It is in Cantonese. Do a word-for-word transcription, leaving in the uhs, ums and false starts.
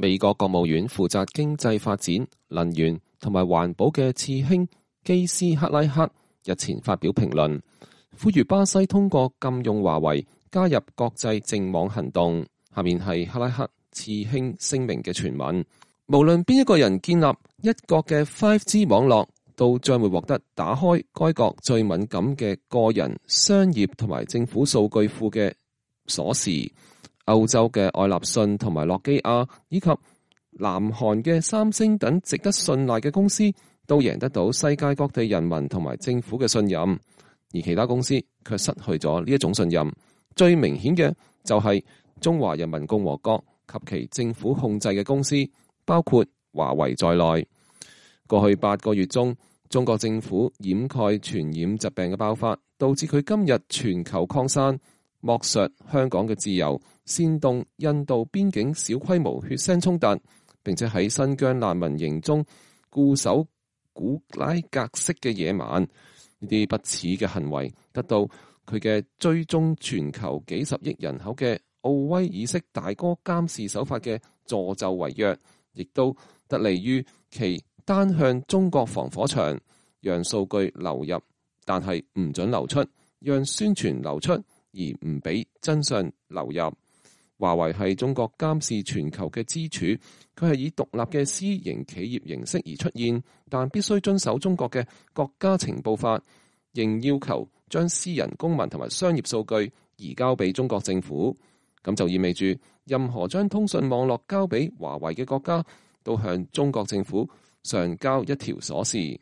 美國國務院負責經濟發展、能源同埋環保嘅次卿基斯克拉克日前發表評論，呼籲巴西通過禁用華為加入國際淨網行動。下面係克拉克次卿聲明嘅全文：無論邊一個人建立一國嘅 五 G 網絡，都將會獲得打開該國最敏感嘅個人、商業同埋政府數據庫嘅鎖匙。歐洲嘅愛立信同埋諾基亞以及南韓嘅三星等值得信賴嘅公司都贏得到世界各地人民同埋政府嘅信任，而其他公司卻失去咗呢一種信任。最明顯嘅就係中華人民共和國及其政府控制嘅公司，包括華為在內。過去八個月中，中國政府掩蓋傳染疾病嘅爆發，導致佢今日全球擴散，剝削香港嘅自由，煽動印度邊境小規模血腥衝突，並且喺新疆難民營中固守古拉格式嘅野蠻。呢啲不恥嘅行為得到佢嘅追蹤全球幾十億人口嘅奧威爾式大哥監視手法嘅助紂為虐，亦都得利於其單向中國防火牆，讓數據流入，但係唔准流出，讓宣傳流出，而唔俾真相流入。華為係中國監視全球嘅支柱，佢係以獨立嘅私營企業形式而出現，但必須遵守中國嘅國家情報法，仍要求將私人公民同埋商業數據移交俾中國政府。咁就意味住任何將通訊網絡交俾華為嘅國家，都向中國政府上交一條鎖匙。